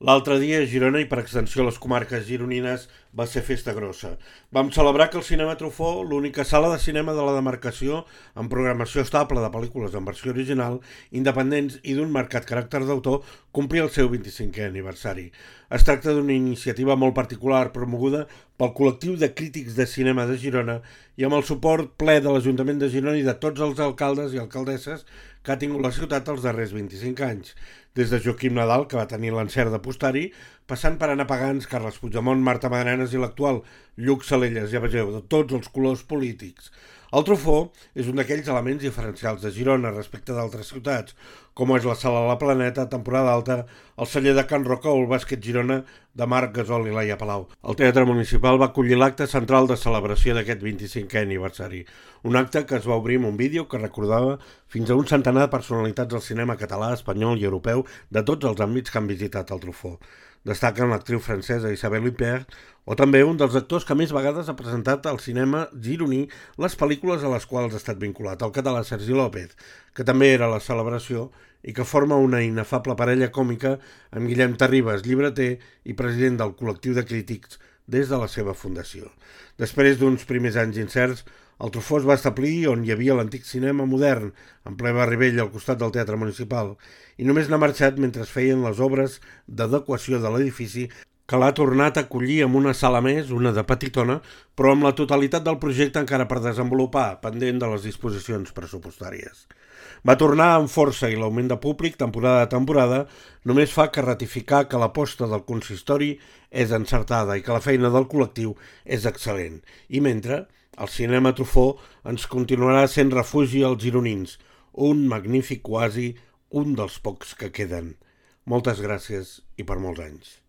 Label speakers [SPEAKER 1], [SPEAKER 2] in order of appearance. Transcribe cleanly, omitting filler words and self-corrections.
[SPEAKER 1] L'altre dia a Girona i per extensió a les comarques gironines va ser festa grossa. Vam celebrar que el Cinema Truffaut, l'única sala de cinema de la demarcació amb programació estable de pel·lícules en versió original, independents i d'un marcat caràcter d'autor, complia el seu 25è aniversari. Es tracta d'una iniciativa molt particular promoguda pel col·lectiu de crítics de cinema de Girona i amb el suport ple de l'Ajuntament de Girona i de tots els alcaldes i alcaldesses que ha tingut la ciutat els darrers 25 anys. Des de Joaquim Nadal, que va tenir l'encert d'apostar-hi, passant per Anna Pagans, Carles Puigdemont, Marta Madranes i l'actual Lluc Salelles, ja vegeu, de tots els colors polítics. El Truffaut és un d'aquells elements diferencials de Girona respecte d'altres ciutats, com és la Sala La Planeta, temporada alta, el celler de Can Roca o el bàsquet Girona de Marc Gasol i Laia Palau. El Teatre Municipal va acollir l'acte central de celebració d'aquest 25è aniversari, un acte que es va obrir amb un vídeo que recordava fins a un centenar de personalitats del cinema català, espanyol i europeu de tots els àmbits que han visitat el Truffaut. Destaquen l'actriu francesa Isabelle Huppert o també un dels actors que més vegades ha presentat al cinema gironí les pel·lícules a les quals ha estat vinculat, el català Sergi López, que també era a la celebració i que forma una inefable parella còmica amb Guillem Terribas, llibreter i president del col·lectiu de crítics des de la seva fundació. Després d'uns primers anys incerts, el Truffaut es va establir on hi havia l'antic cinema modern, en ple barri vell al costat del Teatre Municipal, i només n'ha marxat mentre es feien les obres d'adequació de l'edifici que l'ha tornat a acollir amb una sala més, una de petitona, però amb la totalitat del projecte encara per desenvolupar, pendent de les disposicions pressupostàries. Va tornar amb força i l'augment de públic, temporada a temporada, només fa que ratificar que l'aposta del consistori és encertada i que la feina del col·lectiu és excel·lent. I mentre, el cinema Truffaut ens continuarà sent refugi als gironins, un magnífic oasi, un dels pocs que queden. Moltes gràcies i per molts anys.